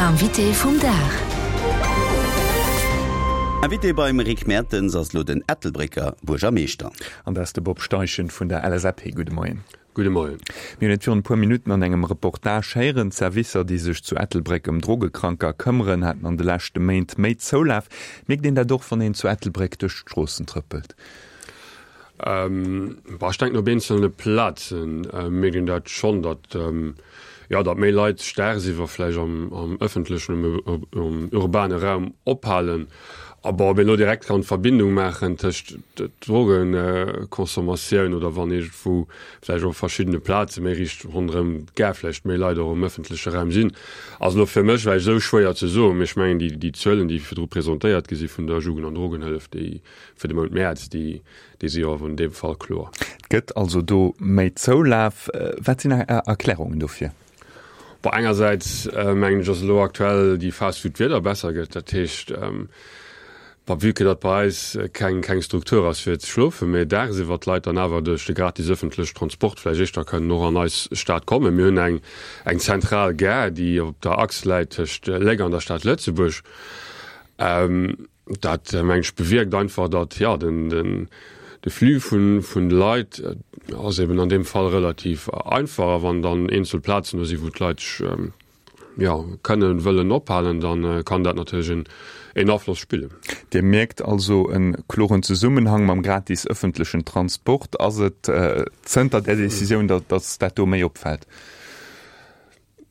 Invité vum Dag. Invité beim Rick Mertens ass elo den Ettelbrécker Buergermeeschter. An dat ass de Bob Steichen vun der LSAP. Gudde Moien. Gudde Moien. Mir hunn et virun e puer Minutten an engem Reportage héieren, D'Servicer, déi sech zu Ettelbréck ëm Drogekranker këmmeren, haten an de leschte Méint méi Zoulaf. Mierkt een dat och, wann een zu Ettelbréck duerch d'Stroossen trëppelt? Bon, ech denken op eenzelne Plazen mierkt een dat schonn, datt, jo, datt méi Leit sech dagsiwwer vläicht am ëffentlechen, am urbane Raum ophalen. A bon, ob een elo direkt kann d'Verbindung maachen tëscht Drogeconsommatioun oder wann iergendwou vläicht op verschiddene Plaze méi riicht ronderëm d'Gare vläicht méi Leit och am ëffentleche Raum sinn, ass elo fir mech vläicht esou schwéier ze soen. Mee ech mengen, déi Zuelen, déi virdru presentéiert gi si vun der Jugend an Drogenhëllef, déi fir de Mount Mäerz, déi, déi si jo awer an deem Fall kloer. Et gëtt also do méi Zoulaf. Wat sinn Är Erklärungen dofir? Bon, engersäits mengen ech, ass elo aktuell déi Phas, wou d'Wieder besser gëtt. Dat heescht, bon, vue que datt bei eis keng, keng Struktur ass fir ze schlofen, mä dagsiwwer d'Leit dann awer duerch de gratis ëffentlechen Transport vläicht éischter kënnen och an eis Stad kommen. Mir hunn eng, eng zentral Gare, déi op der Achs läit tëscht Léck an der Stad Lëtzebuerg. Dat, meng ech, bewierkt einfach, datt, jo, den, de Flux vun, vun de Leit ass eben an deem Fall relativ einfach. A wann dann eenzel Plazen do sinn, wou d'Leit sech, jo, kënnen, wëllen ophalen, da kann dat natierlech en, en Afloss spillen. Dir mierkt also e kloren Zesummenhang mam gratis ëffentlechen Transport. Ass et zënter där Decisioun, datt, datt dat do méi opfält?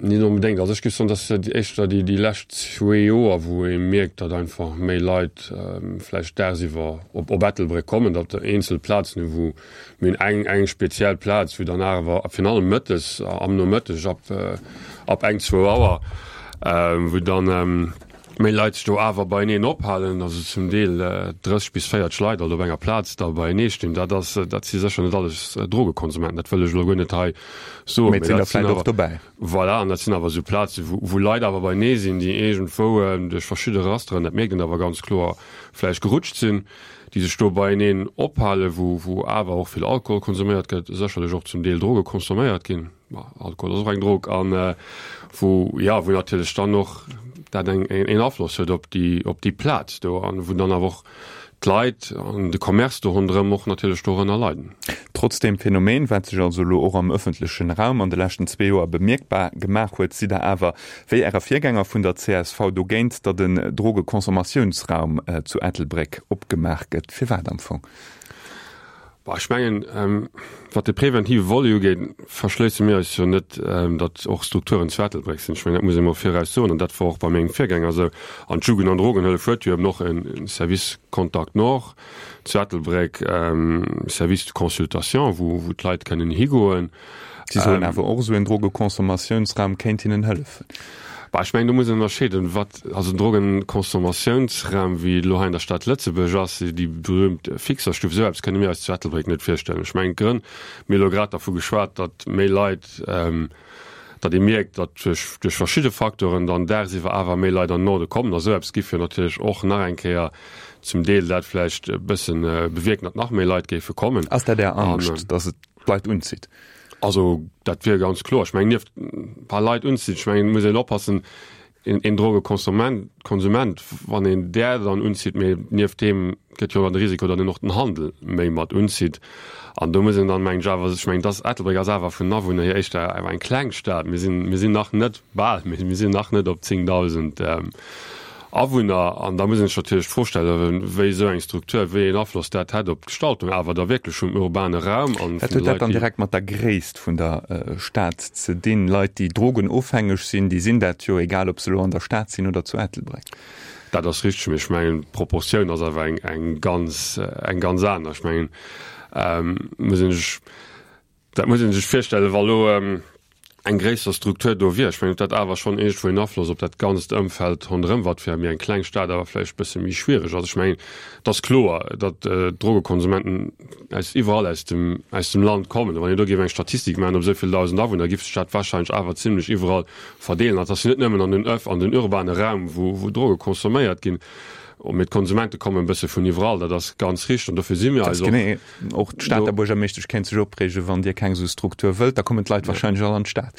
Net onbedéngt. Also ech géif soen, dass et éischter déi déi lescht zwee Joer, wou ee mierkt, datt einfach méi Leit vläicht dagsiwwer op op Ettelbréck kommen, datt eenzel Plazen hu wou mir hunn eng eng speziell Plaz, wou dann awer virun allem mëttes, am Nomëtteg ab ab eng, zwou Auer, wou dann méi Leit sech do awer beieneen ophalen, also zum Deel 30 bis 40 Leit alt op enger Plaz da beienee stinn. Dat ass, dat si sécher net alles Drogekonsumenten, dat wëll ech elo guer net hei soen. Mee et sinn der vläicht och dobäi. Voilà, an dat sinn awer esou Plaze wou, wou Leit awer beienee sinn, déi iergendwou duerch verschidde Rasteren, dat mierkt een awer ganz kloer, vläicht gerutscht sinn, déi sech do beieneen ophalen, wou, wou awer och vill Alkohol konsuméiert gëtt, sécherlech och zum Deel Droge consomméiert ginn. Alkohol ass och eng Drog an wou, jo, wou natierlech dann och dat eng een Afloss huet op déi, op déi Plaz do an wou dann awer och d'Leit an de Commerce do ronderëm och natierlech dorënner leiden. Trotz deem Phänomen, wat sech also elo och am ëffentlechen Raum an de leschten zwee Joer bemierkbar gemaach huet, sidd Der awer, wéi Äre Virgänger vun der csv, dogéint, datt en Drogeconsommatiounsraum zu Ettelbréck opgemaach gëtt. Firwat am Fong? Bon, ech mengen, wat de preventive Volet ugeet, verschléisse mir eis jo net, datt och Strukturen zu Ettelbréck sinn. Ech mengen, dat muss ee mol viraus soen, an dat war och bei mengem Virgänger esou. An d'Jugend an Drogenhëllef huet jo eben och e Service Contact Nord zu Ettelbréck, Service de consultation, wou d'Leit kënnen higoen. Si soen awer och, esou en Drogeconsommatiounsraum kéint hinnen hëllefen. Bah, ech mengen, do muss een ënnerscheeden, wat, also en Drogenconsomatiounsraum, wéi et elo hei an der Stad Lëtzebuerg ass, déi berühmt Fixerstuff, esou eppes kënne mir eis zu Ettelbréck net virstellen. Ech mengen, d'Grënn, mir hu elo grad dervu geschwat, datt méi Leit, datt ee mierkt, datt duerch, duerch verschidde Faktoren dann dagsiwwer awer méi Leit an den Norde kommen. A sou eppes giff jo natierlech och nach eng Kéier zum Deel dat vläicht e bëssen bewierken, datt nach méi Leit géife kommen. Ass dat Är Angscht, datt et d'Leit unzitt? Also dat wier ganz kloer. Ech mengen nieft e paar Leit unzitt, ech mengen et muss een oppassen, een Drogekonsument, Konsument, wann een där dann unzitt, mee nieft deem gëtt jo dann de Risiko, datt een och den Handel méi mat unzitt. An do muss een dann, mengen ech awer, ech mengen dass Ettelbréck ass awer vun den Awunner hier éischter awer eng kleng Stad. Mir sinn, mir sinn nach net bal, mee mir sinn nach net op 10.000. Awunner, an da muss een sech natierlech d'Fro stellen, wéi esou eng Struktur, wéi een Afloss dat hätt op d'Gestaltung awer da wierklech vum urbane Raum an vun de Leit, déi. Wat huet dat dann direkt mat der Gréisst vun der Stad ze dinn? Leit, déi drogenofhängeg sinn, déi sinn dat jo, egal ob se elo an der Stad sinn oder zu Ettelbréck. Dat ass richteg, mee ech mengen, d'Proportioun ass awer eng, eng ganz, eng ganz aner. Ech mengen, muss een sech, Dat muss ee sech virstellen, wa lo eng gréisser Struktur do wier. Ech mengen, huet dat awer schonn iergendwou en Afloss op dat ganzt Ëmfeld ronderëm, wat fir méi eng kleng Stad awer vläicht e bësse méi schwiereg ass. Ech mengen, et ass kloer, datt d'Drogekonsumenten aus iwwerall aus dem, aus dem Land kommen. A wann een do géif eng Statistik maachen op esou vill 1.000 Awunner, géif sech dat warscheinlech awer zimlech iwwerall verdeelen. An et ass jo net nëmmen an den Öff, an den urbane Raum, wou, wou Droge consomméiert ginn, mee d'Konsumente kommen e bësse vun iwwerall. Dat ass ganz richteg an dofir si mir eis och. Och d'Stater Buergermeeschtesch kéint sech opreegen, wann Dir keng esou Struktur wëllt, da kommen d'Leit wahrscheinlech all an d'Stad.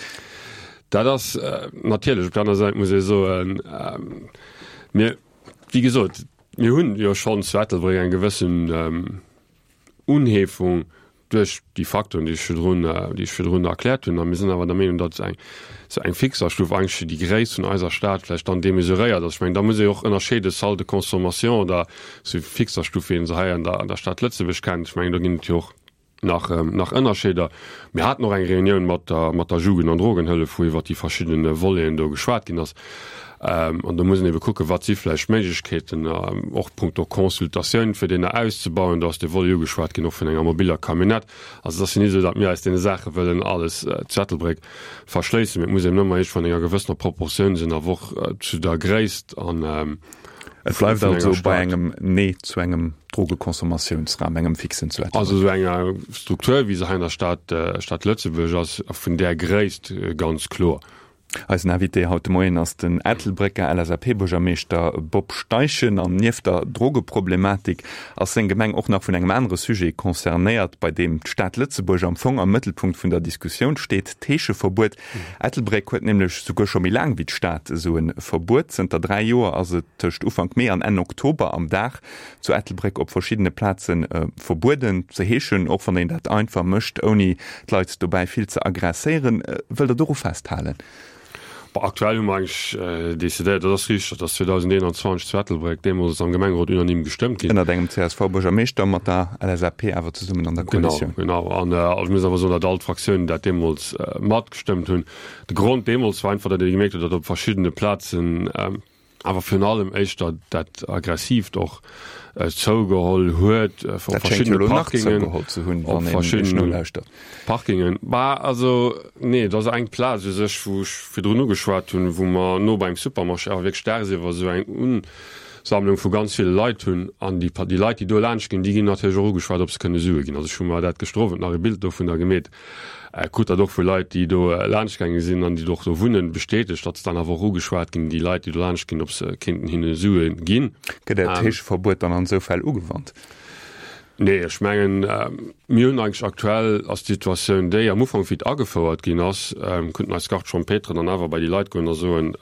Dat ass natierlech. Op der aner Säit muss ee soen, mir, wéi gesot, mir hunn jo schonn zu Ettelbréck eng gewëssen Unheefung duerch déi Faktoren, déi ech virdrun, déi ech virdrun erkläert hunn. A mir sinn awer der Meenung, datt eng esou eng Fixerstuff eigentlech fir déi Gréisst vun eiser Stad vläicht dann demesuréiert ass. Ech mengen, da muss ee och ënnerscheede Salle de consommation oder esou Fixerstuff, wéi een se hei an der, an der Stad Lëtzebuerg kennt. Ech mengen, do ginn et jo och nach, nach Ënnerscheeder. Mir haten och eng Reunioun mat der, mat der Jugend an Drogenhëllef, wou iwwert déi verschidden Voleten do geschwat ginn ass. An do muss een ebe kucken, wat si vläicht Méiglechkeeten, och punkto Consultatioun, fir deen auszebauen. Do ass de Volet ugeschwat ginn och vun enger mobiller Camionnette. Also et ass jo net esou, datt mir eis deene Saache wëllen alles zu Ettelbréck verschléissen, mee et muss eben ëmmer eescht vun enger gewëssener Proportioun sinn, awer och zu der Gréisst an Et bleift also bei engem Nee zu engem Drogeconsommatiounsraum, engem fixen zu Ettelbréck. Also esou enger Struktur, wéi se hei an der Stad, Stad Lëtzebuerg ass, a vun där Gréisst ganz kloer. Eisen Invité haut de Moien ass den Ettelbrécker LSAP-Buergermeeschter Bob Steichen. An nieft der Drogeproblematik ass seng Gemeng och nach vun engem anere Sujet concernéiert, bei deem d'Stad Lëtzebuerg am Fong am Mëttelpunkt vun der Diskussioun steet, d'Heescheverbuet. Ettelbréck huet nämlech souguer scho méi laang wéi d'Stad esou e Verbuet. Zënter 3 Joer ass et tëscht Ufank Mee an Enn Oktober am Dag zu Ettelbréck op verschiddene Plaze verbueden ze heeschen, och wann een dat einfach mécht, ouni d'Leit dobäi vill ze aggresséieren. Wëllt Der doru festhalen? Bon, aktuell hu mer eigentlech decidéiert, dat ass richteg, dat ass 2021 zu Ettelbréck deemools am Gemengerot unanime gestëmmt ginn. Ënnert engem CSV-Buergermeeschter, mat der LSAP awer zesummen an der Koalitioun. Genau, genau. An ech muss awer soen, datt all d'Fraktiounen dat deemools matgestëmmt hunn. De Grond deemools war einfach, datt ee gemierkt huet, datt op verschiddene Plazen, awer virun allem éischter dat Aggressiivt och zougeholl huet op verschiddene Parkingen, op verschiddene Parkingen. Bah, also nee, et ass eng Plaz u sech, wou ech virdrun ugeschwat hunn, wou mer no beim Supermarché awer wierklech dagsiwwer esou eng Unsammlung vu ganz ville Leit hunn. An déi, déi Leit, déi do laanscht ginn, déi ginn natierlech och ugeschwat, ob se kënne Sue ginn. Also ech hu mer dat gëschter Owend nach e Bild dovunner gemeet. Krut dat och vu Leit, déi do laanscht gaange sinn an déi och do wunnen, bestätegt, datt se dann awer och ugeschwat ginn, déi Leit, déi do laanscht ginn, ob se kéinten hinne Sue ginn. Gëtt Äert Heescheverbuet dann an esou Fäll ugewannt? Nee, ech mengen, mir hunn eigentlech aktuell ass d'Situatioun déi, am Ufank wéi et agefouert ginn ass, konnten eis Gardes champêtres dann awer bei déi Leit goen a soen,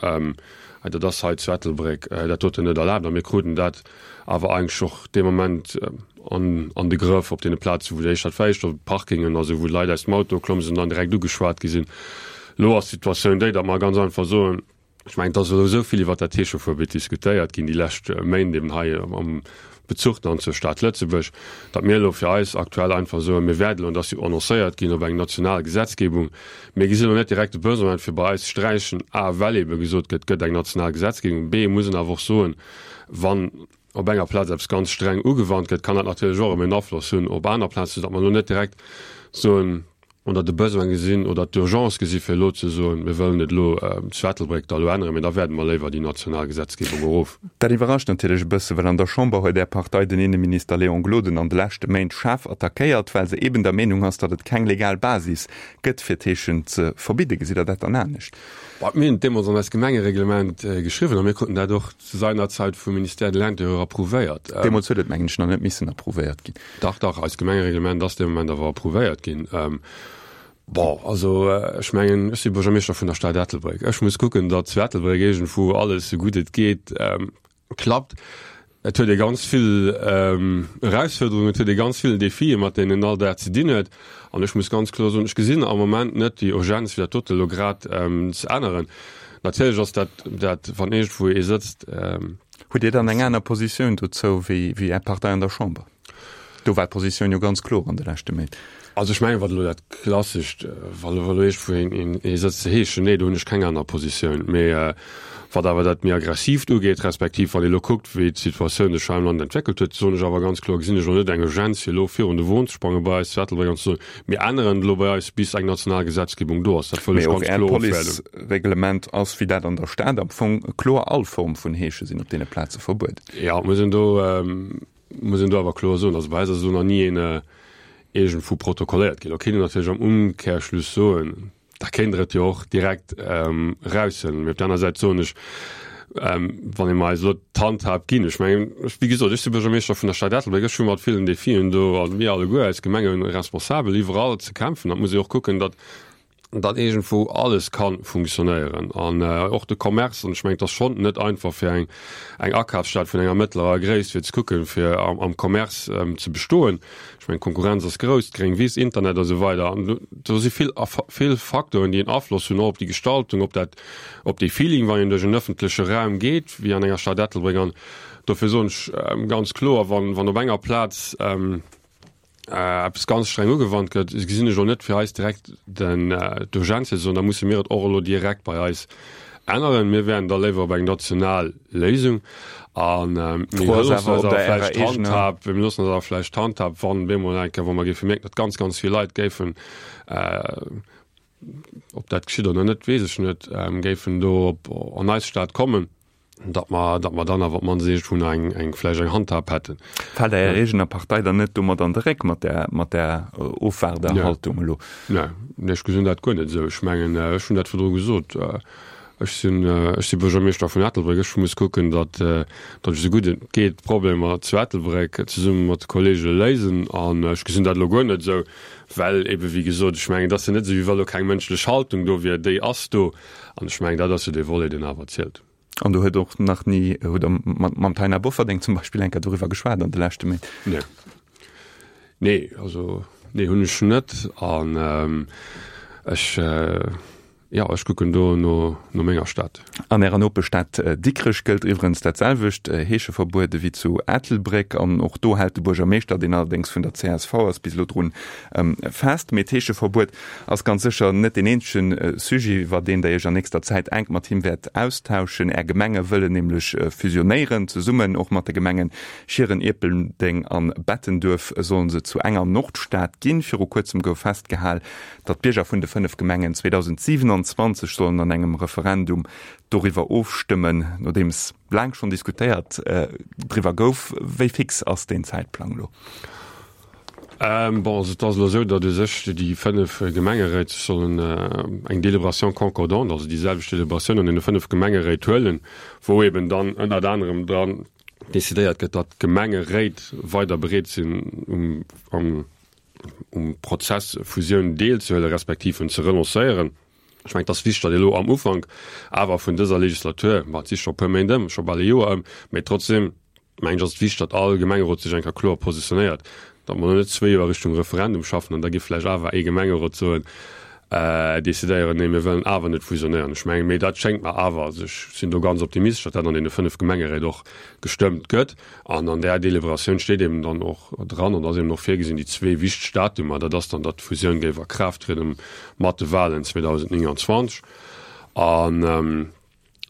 hei dat ass hei zu Ettelbréck dat doten net erlaabt a mir kruten dat awer eigentlech och dee Moment an an de Grëff op deene Plazen, wou déi éischter d'Fäischt op Parkingen, also wou d'Leit aus dem Auto klomm sinn an dann direkt ugeschwat gi sinn. Elo ass d'Situatioun déi, datt mer ganz einfach soen, ech mengen, et ass elo esou vill iwwert dat Heescheverbuet diskutéiert ginn déi lescht Méint eben hei am Bezuch dann zur Stad Lëtzebuerg, datt mir elo fir eis aktuell einfach soen, mir wäerten elo, an dat ass jo annoncéiert ginn, op eng national Gesetzgebung, mir gesinn elo net direkt de Besoin fir bei eis ze sträichen, a well ebe gesot gëtt, et gëtt eng national Gesetzgebung, b muss een awer och soen, wann op enger Plaz eppes ganz streng ugewannt gëtt, kann dat natierlech och erëm en Afloss hunn op aner Plazen, soudatt mer elo net direkt soen oder de Besoin gesinn oder d'Urgence gesi fir elo ze soen, mir wëllen et elo zu Ettelbréck da elo änneren, mee da wäerde mer léiwer déi national Gesetzgebung erof. Dat iwwerrascht natierlech e bësse, well an der Chamber huet Är Partei den Inneminister Léon Gloden an de leschte Méint schaarf attackéiert, well se eben der Meenung ass, datt et keng legal Basis gëtt, fir d'Heeschen ze verbidden. Gesitt Der dat dann anescht? Bon, mir hunn et deemools an eist Gemengereglement geschriwwen a mir kruten dat och zu seinerzeit vum Ministère de l'Intérieur approuvéiert. Deemools huet et, mengen ech, nach net missen approuvéiert ginn. Dach, dach, eist Gemengereglement ass dee Moment awer approuvéiert ginn. Bon, also ech mengen, ech si Buergermeeschter vun der Stad Ettelbréck. Ech muss kucken, datt zu Ettelbréck iergendwou alles, esou gutt et geet, klappt. Et huet ee ganz vill Erausfuerderungen, et huet ee ganz vill Defien, mat deenen een all Dag ze dinn huet. An ech muss ganz kloer soen, ech gesinn am Moment net déi Urgenz, fir dat dote elo grad ze änneren. Natierlech ass dat, dat wann iergendwou ee sëtzt. Hutt Dir dann eng aner Positioun dozou wéi Är Partei an der Chamber? Do war d'Positioun jo ganz kloer an de leschte Méint. Also ech mengen, wat elo dat Klassescht, wa elo iergendwou een ee sëtzt ze heeschen, nee, do hunn ech keng aner Positioun. Mee wat awer dat méi Aggressiivt ugeet, respektiv wann ee elo kuckt, wéi d'Situatioun sech hei am Land entwéckelt huet, soen ech awer ganz kloer, gesinn ech elo net eng Urgenz, fir elo virun de Won ze sprange bei eis zu Ettelbréck an ze soen, mir änneren et elo bei eis, bis eng national Gesetzgebung do ass. Dat wëll ech ganz kloer ofwäerden. Mee och Äert Policereglement ass, wéi dat an der Stad am Fong, kloer, all Form vun Heesche sinn op deene Plaze verbueden. Jo, et muss een do, Muss een do awer kloer soen, also bei eis ass elo nach ni een iergendwou protokolléiert ginn. Lo kéint een natierlech am Umkehrschluss soen, da kéint Der et jo och direkt eraushuelen. Mee op der aner Säit soen ech, wann ee mer eis elo d'Handhab ginn, ech mengen, wéi gesot, ech si Buergermeeschter vun der Stad Ettelbréck, ech hu mat villen Defien do, a mir alleguer als Gemengeresponsabel iwwerall ze kämpfen, da muss ee och kucken, datt. datt iergendwou alles ka funktionéieren an och de Commerce. An ech mengen, et ass schonn net einfach fir eng eng Akafsstad vun enger mëttlerer Gréisst fir ze kucken, fir am Commerce ze bestoen. Ech mengen, d'Konkurrenz ass grouss, d'gréng Wiss, Internet a sou weider. An do si vill vill Facteuren, déi en Afloss hunn och op déi Gestaltung, op dat op dee Feeling, wann een duerch en ëffentleche Raum geet, wéi an enger Stad Ettelbréck. An dofir soen ech ganz kloer, wann wann op enger Plaz, eppes ganz streng ugewannt gëtt, gesinn ech elo net fir eis direkt den d'Urgence fir ze soen, da musse mir et och elo direkt bei eis änneren. Mir wären da léiwer op eng national Léisung a mir loossen eis awer vläicht d'Handhab, mir loossen eis awer vläicht d'Handhab, wann bemol eng Kéier, wa mer géife mierken, datt ganz, ganz vill Leit géifen, ob dat geschitt oder net, weess ech net, géifen do op an eis Stad kommen. datt mer, datt mer dann awer op d'mannst iergendwou nach eng, eng, vläicht eng Handhab hätten. Fält Är eegener Partei dann net domat an de Réck mat där, mat där Ofwaarderhaltung elo? Nee, nee, ech gesinn dat guer net esou. Ech mengen, ech hunn dat virdru gesot, ech sinn, ech si Buergermeeschter vun Ettelbréck, ech muss kucken, datt, datt ech esou gutt et geet d'Problemer zu Ettelbréck zesumme mat de Kollege léisen. An ech gesinn dat elo guer net esou, well ebe wéi gesot, ech mengen, et ass jo net esou, wéi wa lo keng mënschlech Haltung do wier, déi ass do. An ech mengen, dat ass jo dee Volet, deen awer zielt. An do huet och nach ni, hutt Der mat, mam Taina Bofferding zum Beispill eng Kéier doriwwer geschwat an de leschte Méint? Nee. Nee, also nee, hunn ech net. An ech, jo, ech kucken do no, no menger Stad. An Ärer Nopeschstad Dikrech gëllt iwwerens dat selwecht Heescheverbuet ewéi zu Ettelbréck. An och do hält de Buergermeeschter, deen allerdéngs vun der csv ass, bis elo drun fest. Mee d'Heescheverbuet Ass ganz sécher net deen eenzegen Sujet, iwwer deen Der Iech an nächster Zäit enk mat him wäert austauschen. Är Gemenge wëllen nämlech fusionéieren. Zesummen och mat de Gemengen Schieren, Ierpeldeng an Bettenduerf sollen se zu enger Nordstad ginn. Viru kuerzem gouf festgehal, datt d'Bierger vun de 5 Gemengen 2027 sollen an engem Referendum doriwwer ofstëmmen. Nodeems laang schonn diskutéiert driwwer gouf, wéi fix ass deen Zäitplang elo? Bon, also et ass elo esou, datt u sech déi 5 Gemengeréit sech sollen eng Délibération concordante, also déi selwecht Délibératioun an deene 5 Gemengeréit huelen, wou eben dann ënnert anerem dran decidéiert gëtt, datt d'Gemengeréit weider bereet sinn um am um Prozess Fusioun deelzehuelen, respektiv en ze renoncéieren. Ech mengen, et ass wichteg, datt elo am Ufank awer vun dëser Legislatur, ma et si scho e puer Méint ëm, scho bal e Joer ëm, mä trotzdem, mengen ech, ass et wichteg, datt all Gemengerot sech eng Kéier kloer positionéiert, datt mer elo net zwee Joer Richtung Referendum schaffen an da géif vläicht awer ee Gemengerot soen, decidéieren, nee, mir wëllen awer net fusionéieren. Ech mengen, mee dat schéngt mer awer, also ech sinn do ganz optimistesch, datt dat an deene 5 Gemengeréit och gestëmmt gëtt. An an där Deliberatioun steet eben dann och dran an ass eben och virgesinn, déi zwee wichteg Datumer, dat ass dann, datt d'Fusioun géif a Kraaft trieden mat de Wahlen 2029 an,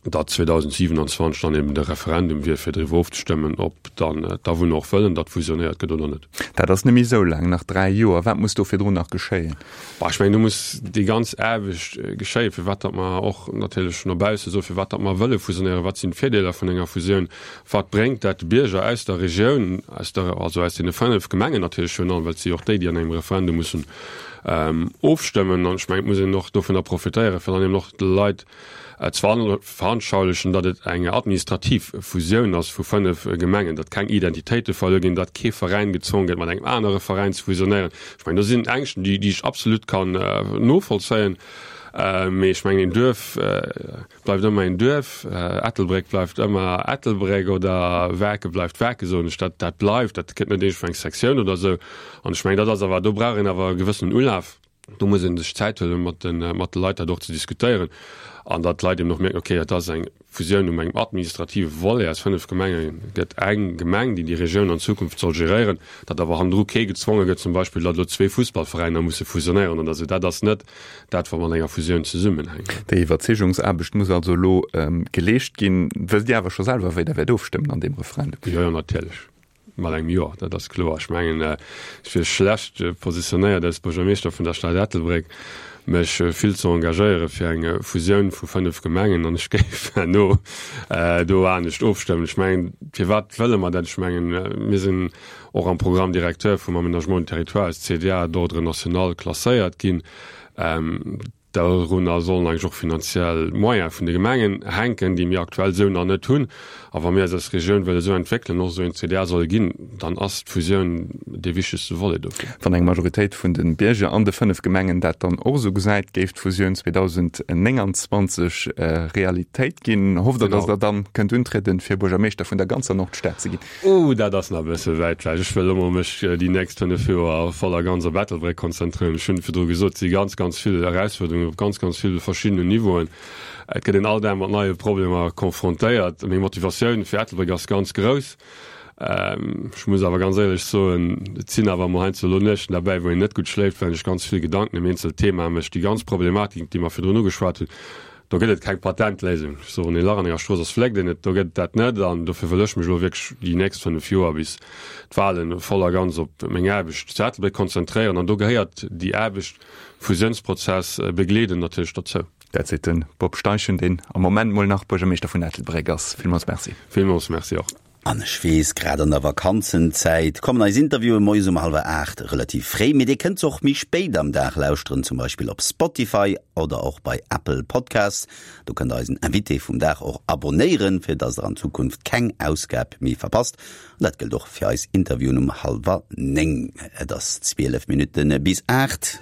datt 2027 dann eben de Referendum wier, fir driwwer ofzestëmmen, ob dann d'Awunner och wëllen, datt fusionéiert gëtt oder net. Dat ass net méi esou laang, nach 3 Joer. Wat muss do virdrun nach geschéien? Bah, ech mengen, do muss déi ganz Aarbecht geschéien, firwat datt mer och natierlech no bausse soen, firwat datt mer wëlle fusionéieren, wat sinn d'Virdeeler vun enger Fusioun, wat bréngt dat de Bierger aus der Regioun, aus der, also aus deene 5 Gemengen natierlech virun allem, well et si jo och déi, déi an engem Referendum mussen ofstëmmen. An ech mengen, et muss een och dovunner profitéieren, fir dann eben och de Leit ze veranschaulichen, datt et eng administrativ Fusioun ass vu 5 Gemengen, datt keng Identitéite verluer ginn, datt kee Veräin gezwongen gëtt, mat engem anere Veräin ze fusionéieren. Ech mengen, do sinn Ängschten, déi ech absolut kann novollzéien. Mee ech mengen, een Duerf bleift ëmmer een Duerf, Ettelbréck bleift ëmmer Ettelbréck oder Waarken bleift Waarken, soen ech. Dat, dat bleift, dat gëtt net iergendwou eng Sektioun oder esou. An ech mengen, dat ass awer, do brauch een awer e gewëssenen Ulaf. Do muss ee sech Zäit huelen, mat de, mat de Leit dat och ze diskutéieren an datt d'Leit eben och mierken, okay, dat ass eng Fusioun um engem administrative Volet, aus 5 Gemenge gëtt eng Gemeng, déi déi Regioun an Zukunft soll geréieren, datt awer hannendru kee gezwonge gëtt, zum Beispill, datt elo zwee Fussballveräiner musse fusionéieren oder esou. Dat ass net dat, wat mat enger Fusioun zesummenhänkt. Déi Iwwerzeegungsaarbecht muss also elo geleescht ginn. Wësst Dir awer scho selwer, wéi Der wäert ofstëmmen an deem Referendum? Jo, jo, natierlech. Mat engem Jo, dat ass kloer. Ech mengen, ech wier schlecht positionéiert als Buergermeeschter vun der Stad Ettelbréck, mech vill ze engagéiere fir eng Fusioun vu 5 Gemengen an ech géif herno do anescht ofstëmmen. Ech mengen, firwat wëlle mer dat? Ech mengen, mir sinn och am Programme directeur vum Aménagement du territoire als CDA d'ordre national klasséiert ginn. Dorunner sollen eigentlech och finanziell Moyene vun de Gemengen hänken, déi mir aktuell esou nach net hunn. A wa mir eis als Regioun wëlle esou entwéckelen, och esou een CDA solle ginn, dann ass d'Fusioun dee wichtegste Volet dofir. Wann eng Majoritéit vun de Bierger an de 5 Gemengen dat dann och esou gesäit, géif d'Fusioun 2029 Realitéit ginn. Hofft Der, datt Der dann kënnt untrieden, fir Buergermeeschter vun der ganzer Nordstad ze ginn? Ooh, dat ass nach e bësse wäit ewech. Ech wëll elo mol mech déi nächst 5 Joer voll a ganz op Ettelbréck konzentréieren. Ech hunn virdru gesot, et si ganz, ganz vill Erausfuerderungen op ganz, ganz ville verschiddenen Niveauen. Et gëtt een all Dag mat neie Problemer konfrontéiert. Meng Motivatioun fir Ettelbréck ass ganz grouss. Ech muss awer ganz éierlech soen, et sinn awer emol heiansdo elo Nuechten derbäi, wou een net gutt schléift, well een sech ganz vill Gedanken ëm eenzel Themae mécht. Déi ganz Problematik, déi mer virdrun ugeschwat hunn, Do gëtt et keng Patentléisung. Ech soen, wann ee Lach an enger Strooss ass, fléckt een et. Do gëtt et dat net. An dofir wëll ech mech elo wierklech déi nächst 5 Joer bis d'Wahlen voll a ganz op meng Aarbecht zu Ettelbréck konzentréieren. An do gehéiert déi Aarbecht, Fusiounsprozess begleeden, natierlech dozou. Dat seet de Bob Steichen, deen am Moment mol nach Buergermeeschter vun Ettelbréck ass. Villmools Merci. Villmools Merci och. An ech weess, grad an der Vakanzenzäit kommen eis Interviewen moies um hallwer 8 relativ fréi, mee dir kënnt se och méi spéit am Dag lauschteren, zum Beispill op Spotify oder och bei Apple Podcasts. Do kënnt der eisen Invité vum Dag och abonéieren, fir dass der an Zukunft keng Ausgab méi verpasst. An dat gëllt och fir eis Interviewen um hallwer 9. Et ass 12 Minutte bis 8.